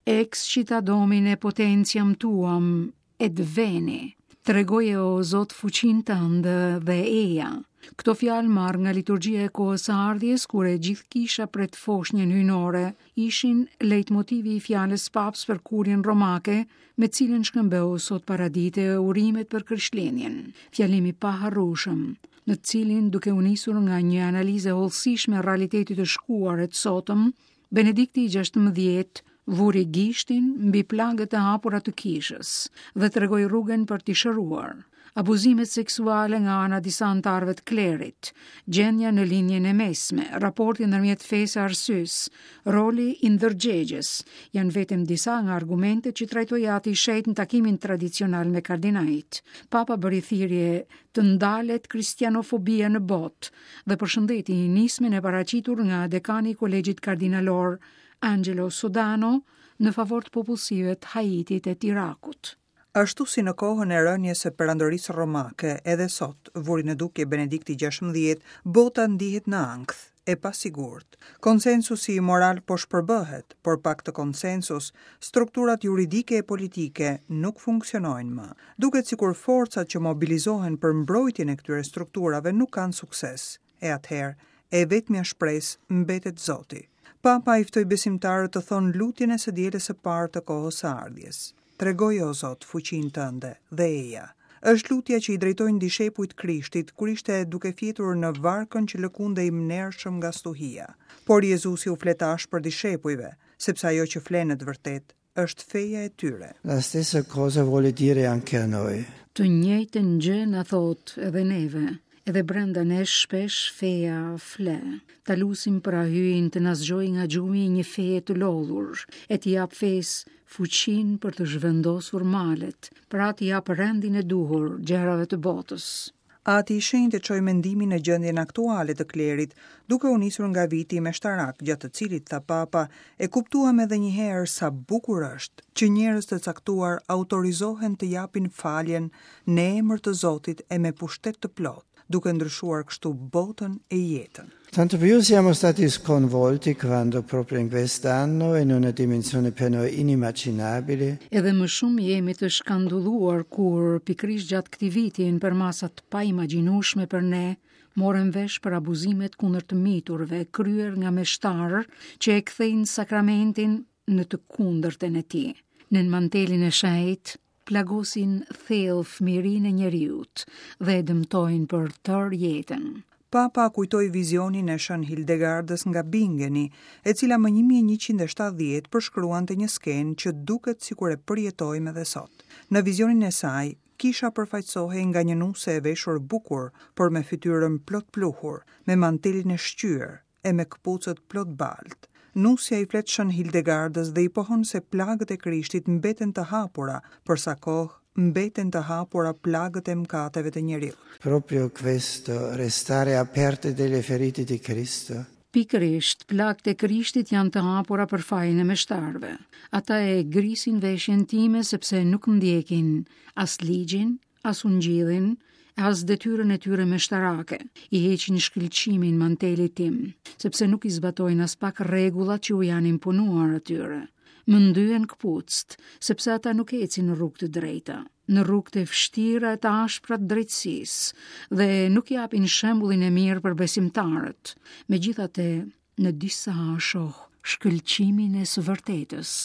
Excita Domine potentiam tuam et veni. Tregoje o Zot fuqinë tënde dhe eja. Këto fjalë marrë nga liturgjia e kohës së ardhjes, kur e gjithë kisha pret foshnjën hyjnore, ishin lejtmotivi i fjalës papës për kurien romake, me cilën shkëmbeu sot paradite urimet për Krishtlindjen. Fjalim i paharrueshëm, në të cilin duke u nisur nga një analizë e hollësishme e realitetit të shkuar e të sotëm, Benedikti i 16 vuri gishtin mbi plagët e hapura të kishës dhe tregoi rrugën për t'i shëruar. Abuzimet seksuale nga ana e disa anëtarëve të klerit, gjendja në Lindjen e Mesme, raporti ndërmjet fesë e arsyes, roli i ndërgjegjes, janë vetëm disa nga argumentet që trajtoi Ati i Shenjtë në takimin tradicional me kardinajt. Papa bëri thirrje të ndalet kristianofobia në botë dhe përshëndeti nismën e paraqitur nga dekani i Kolegjit Kardinalor Angelo Sodano në favor të popullsive të Haitit e të Irakut. Ashtu si në kohën e rënies së Perandorisë Romake, edhe sot, vuri në dukje Benedikti XVI, bota ndihet në ankth, e pasigurt. Konsensusi moral po shpërbëhet, por pa këtë konsensus, strukturat juridike e politike nuk funksionojnë më. Duket sikur forcat që mobilizohen për mbrojtjen e këtyre strukturave nuk kanë sukses. E atëherë, e vetmja shpresë mbetet Zoti. Papa i ftoi besimtarët të thonë lutjen e së dielës së parë të kohës së ardhjes. Tregoje o Zot fuqinë tënde dhe eja. Është lutja që i drejtojnë dishepujt Krishtit kur ishte duke fjetur në varkën që lëkundej mnershëm nga stuhia. Por Jezusi u flet ashpër dishepujve, sepse ajo që fle në të vërtetë është feja e tyre. La stessa cosa vuole dire anche a noi. Të njëjtën gjë na thotë edhe neve. Edhe brenda nesh shpesh feja fle. Ta lusim pra Hyjin të na zgjojë nga gjumi i një feje të lodhur, e t'i japë fesë fuqinë për të zhvendosur malet, pra t'i japë rendin e duhur gjërave të botës. Ati i Shenjtë e çoi mendimin në gjendjen aktuale të klerit, duke u nisur nga viti meshtarak, gjatë të cilit, tha Papa, e kuptuam edhe një herë sa bukur është që njerëz të caktuar autorizohen të japin faljen në emër të Zotit e me pushtet të plotë, duke ndryshuar kështu botën e jetën. Tanto più siamo stati sconvolti quando proprio in quest'anno, in una dimensione per noi inimmaginabile, Edhe më shumë jemi të shkandulluar kur, pikërisht gjatë këtij viti, në përmasa të paimagjinueshme për ne, morëm vesh për abuzimet kundër të miturve, kryer nga meshtarë që e kthejnë sakramentin në të kundërtën e tij. Nën mantelin e shenjtë, plagosin thellë fëmijërinë e njeriut dhe e dëmtojnë për tërë jetën. Papa kujtoi vizionin e Shën Hildegardës nga Bingeni, e cila më 1170 përshkruante një skenë që duket sikur e përjetojmë edhe sot. Në vizionin e saj, kisha përfaqësohej nga një nuse e veshur bukur, por me fytyrën plot pluhur, me mantelin e shqyer, e me këpucët plot baltë. Nusja i flet Shën Hildegardës dhe i pohon se plagët e Krishtit mbeten të hapura, për sa kohë mbeten të hapura plagët e mëkateve të njeriut. Proprio questo, restare aperte delle ferite di Cristo. Pikërisht, plagët e Krishtit janë të hapura për fajin e meshtarëve. Ata e grisin veshjen time sepse nuk ndjekin as ligjin, as ungjillin, e as detyrën e tyre meshtarake, i heqin shkëlqimin mantelit tim, sepse nuk i zbatojnë aspak rregullat që u janë imponuar atyre. Më ndyen këpucët, sepse ata nuk ecin në rrugë të drejta, në rrugë të vështira e të ashpra të drejtësisë, dhe nuk japin shembullin e mirë për besimtarët. Megjithatë, në disa shoh shkëlqimin e së vërtetës.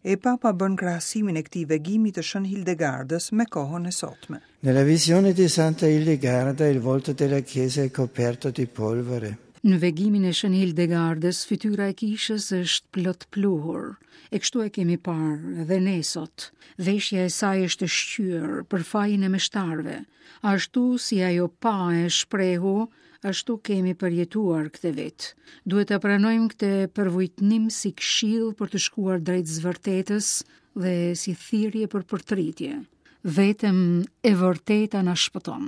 E Papa bën krahasimin e këtij vegimi të Shën Hildegardës me kohën e sotme. Nella visione di Santa Hildegarda il volto della chiesa è coperto di polvere. Në vegimin e Shën Hildegardës, fytyra e kishës është plot pluhur. E kështu e kemi parë dhe ne sot. Veshja e saj është e shqyer për fajin e meshtarëve. Ashtu si ajo pa e shprehu, Ashtu kemi përjetuar këtë vit. Duhet ta pranojmë këtë përvujtnim si këshillë për të shkuar drejt së vërtetës dhe si thirrje për përtëritje. Vetëm e vërteta na shpëton.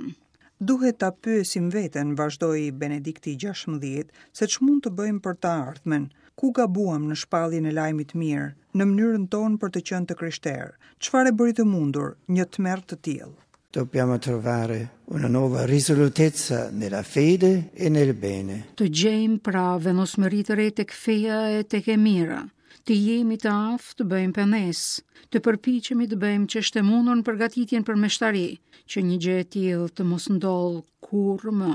Duhet ta pyesim veten, vazhdoi Benedikti XVI, se ç'mund të bëjmë për të ardhmen, ku gabuam në shpalljen e lajmit të mirë, në mënyrën tonë për të qenë të krishterë, çfarë e bëri të mundur një tmerr të tillë. Dobbiamo trovare una nuova risolutezza nella fede e nel bene. Të gjejmë pra vendosmëri të re tek feja e tek e mira. Të jemi të aftë të bëjmë pendesë, të përpiqemi të bëjmë ç'është e mundur në përgatitjen për meshtari, që një gjë e tillë të mos ndodhë kurrë më.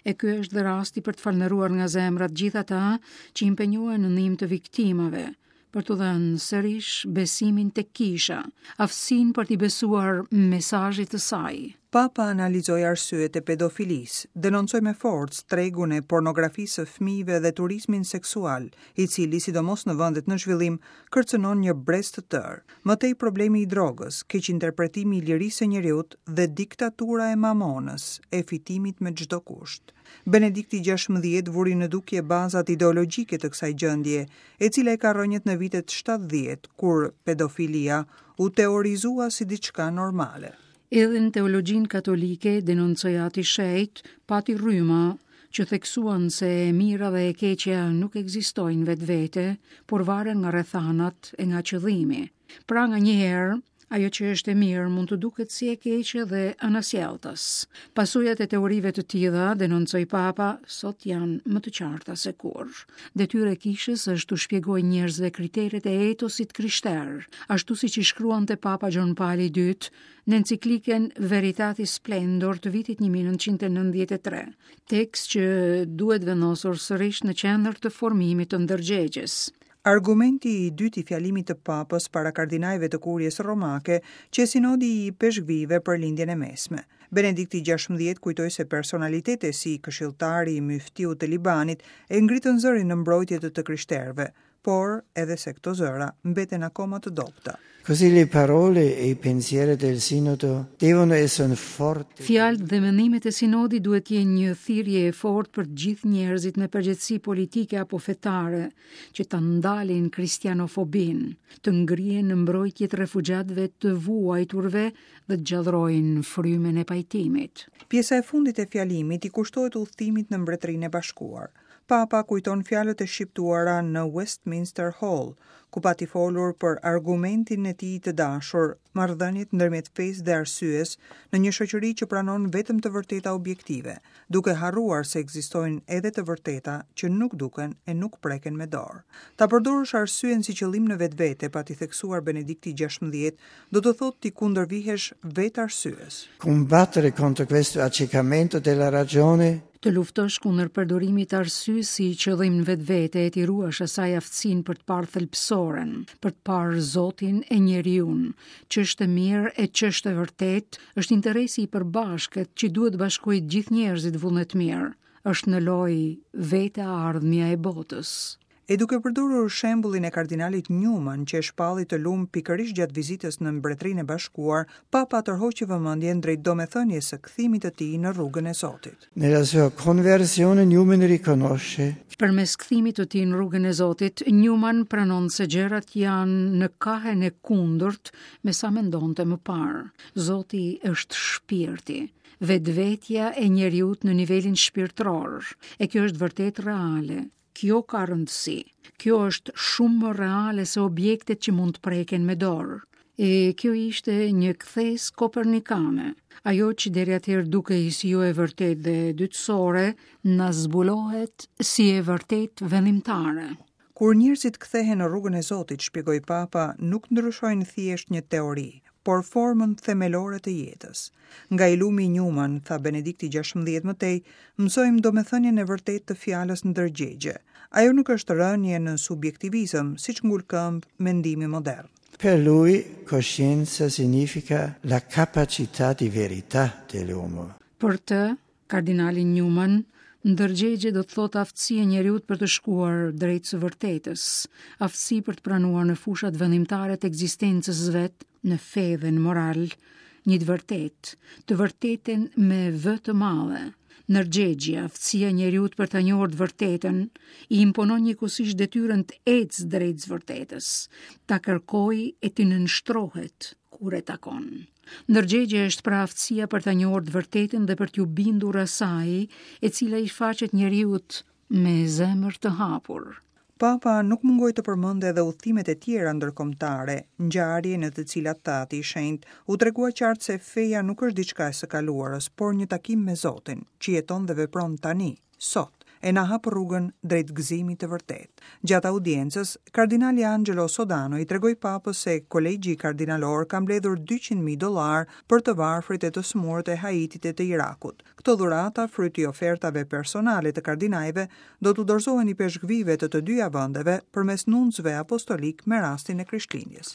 E ky është dhe rasti për të falënderuar nga zemra të gjithë ata që impenjohen në ndihmë të viktimave, për t'u dhënë sërish besimin tek kisha, aftësinë për t'i besuar mesazhit të saj. Papa analizoi arsyet e pedofilisë, denoncoi me forcë tregun e pornografisë së fëmijëve dhe turizmin seksual, i cili, sidomos në vendet në zhvillim, kërcënon një brez të tërë. Më tej problemi i drogës, keqinterpretimi i lirisë së njeriut dhe diktatura e mamonës, e fitimit me çdo kusht. Benedikti 16 vuri në dukje bazat ideologjike të kësaj gjendje, e cila i ka rrënjët në vitet 70, kur pedofilia u teorizua si diçka normale. Edhe në teologjinë katolike, denoncoi Ati i Shenjtë, pati rryma që theksuan se e mira dhe e keqja nuk ekzistojnë vetvete, por varen nga rrethanat e nga qëllimi. Pra nganjëherë, ajo që është e mirë mund të duket si e keqe dhe anasjelltas. Pasojat e teorive të tilla, denoncoi Papa, sot janë më të qarta se kurrë. Detyrë e kishës është t'u shpjegojë njerëzve kriteret e etosit krishterë, ashtu siç i shkruante Papa Gjon Pali i II në enciklikën Veritatis Splendor të vitit 1993, tekst që duhet vendosur sërish në qendër të formimit të ndërgjegjes. Argumenti i dytë i fjalimit të Papës para kardinajve të Kuries Romake qe Sinodi i Ipeshkvijve për Lindjen e Mesme. Benedikti 16 kujtoi se personalitete si këshilltari i myftiut të Libanit e ngritën zërin në mbrojtje të të krishterëve, por edhe se këto zëra mbeten akoma të dobëta. Così le parole e i pensieri del Sinodo devono essere un forte Fjalët dhe mendimet e sinodit duhet të jenë një thirrje e fortë për të gjithë njerëzit me përgjegjësi politike apo fetare që ta ndalin kristianofobinë, të ngrihen në mbrojtje të refugjatëve të vuajturve dhe të gjallërojnë frymën e pajtimit. Pjesa e fundit e fjalimit i kushtohet udhëtimit në Mbretërinë e Bashkuar. Papa kujton fjalët e shqiptuara në Westminster Hall, ku pati folur për argumentin e tij të dashur, marrëdhëniet ndërmjet fesë dhe arsyes në një shoqëri që pranon vetëm të vërteta objektive, duke harruar se ekzistojnë edhe të vërteta që nuk duken e nuk preken me dorë. Ta përdorësh arsyen si qëllim në vetvete, pati theksuar Benedikti 16, do të thotë t'i kundërvihesh vetë arsyes. Combattere contro questo accecamento della ragione Të luftosh kundër përdorimit të arsyes si qëllim në vetvete e t'i ruash asaj aftësinë për të parë thelbësoren, për të parë Zotin e njeriun, ç'është e mirë e ç'është e vërtetë, është interesi i përbashkët që duhet të bashkojë të gjithë njerëzit vullnetmirë. Është në lojë vetë e ardhmja e botës. E duke përdorur shembullin e kardinalit Newman që e shpalli të lum pikërisht gjatë vizitës në Mbretërinë e Bashkuar, Papa tërhoqi vëmendjen drejt domethënies së kthimit të tij në rrugën e Zotit. Nella sua conversione Newman riconosce. Përmes kthimit të tij në rrugën e Zotit, Newman pranon se gjërat janë në kahen e kundërt me sa mendonte më parë. Zoti është shpirti, vetvetja e njeriut në nivelin shpirtëror, e kjo është vërtet reale. Kjo ka rëndësi. Kjo është shumë më reale se objektet që mund të preken me dorë. E kjo ishte një kthesë kopernikane. Ajo që deri atëherë dukej si jo e vërtetë dhe dytësore, na zbulohet si e vërtetë vendimtare. Kur njerëzit kthehen në rrugën e Zotit, shpjegoi Papa, nuk ndryshojnë thjesht një teori, por formën themelore të jetës. Nga i lumi Newman, tha Benedikti 16 më tej, mësojmë domethënien e vërtetë të fjalës ndërgjegje. Ajo nuk është rënie në subjektivizëm, siç ngul këmbë mendimi modern. Per lui coscienza significa la capacità di verità dell'uomo. Për të, Kardinalin Newman, ndërgjegje do të thotë aftësi e njeriut për të shkuar drejt së vërtetës, aftësi për të pranuar në fushat vendimtare të ekzistencës vet, në fe dhe në moral, një të vërtetë, të vërtetën me V të madhe. Ndërgjegjja, aftësia e njeriut për ta njohur të vërtetën, i imponon njëkohësisht detyrën të ecë drejt së vërtetës, ta kërkojë e t'i nënshtrohet kur e takon. Ndërgjegje është pra aftësia për ta njohur të vërtetën dhe për t'iu bindur asaj, e cila i shfaqet njeriut me zemër të hapur. Papa nuk mungoi të përmendë edhe udhëtimet e tjera ndërkombëtare, ngjarje në të cilat tha Ati i Shenjtë, u tregua qartë se feja nuk është diçka e së kaluarës, por një takim me Zotin, që jeton dhe vepron tani, sot. e na hap rrugën drejt gëzimit të vërtetë. Gjatë audiencës, kardinali Angelo Sodano i tregoi Papës se Kolegji Kardinalor ka mbledhur 200.000 dollarë për të varfrit e të sëmurët e Haitit e të Irakut. Këto dhurata, fryt i ofertave personale të kardinajve, do t'u dorëzohen ipeshkvijve të të dyja vendeve përmes nuncëve apostolikë me rastin e Krishtlindjes.